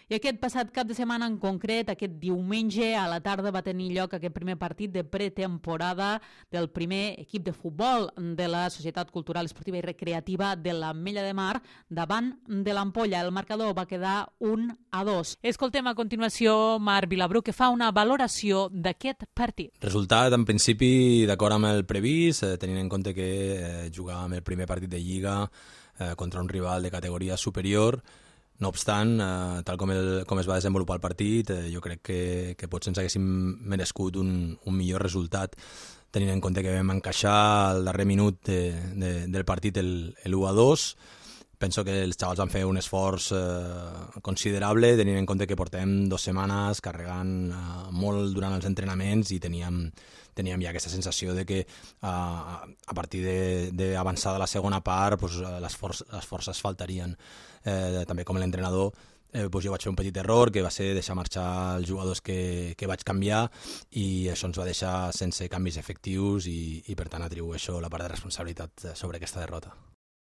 I aquest passat cap de setmana en concret, aquest diumenge a la tarda, va tenir lloc aquest primer partit de pretemporada del primer equip de futbol de la Societat Cultural, Esportiva i Recreativa de l'Ametlla de Mar davant de l'Ampolla. El marcador va quedar 1-2. Escoltem a continuació Marc Vilabrú, que fa una valoració d'aquest partit. Resultat, en principi, d'acord amb el previst, tenint en compte que jugàvem el primer partit de Lliga contra un rival de categoria superior. No obstant, tal com es va desenvolupar el partit, jo crec que potser ens haguéssim merescut un millor resultat, tenint en compte que vam encaixar al darrer minut del partit el 1-2. Penso que els xavals van fer un esforç considerable, tenint en compte que portem 2 setmanes carregant molt durant els entrenaments i teníem ja aquesta sensació de que a partir d'avançar de la segona part les forces faltarien. També com l'entrenador jo vaig fer un petit error, que va ser deixar marxar els jugadors que vaig canviar, i això ens va deixar sense canvis efectius i per tant atribueixo la part de responsabilitat sobre aquesta derrota.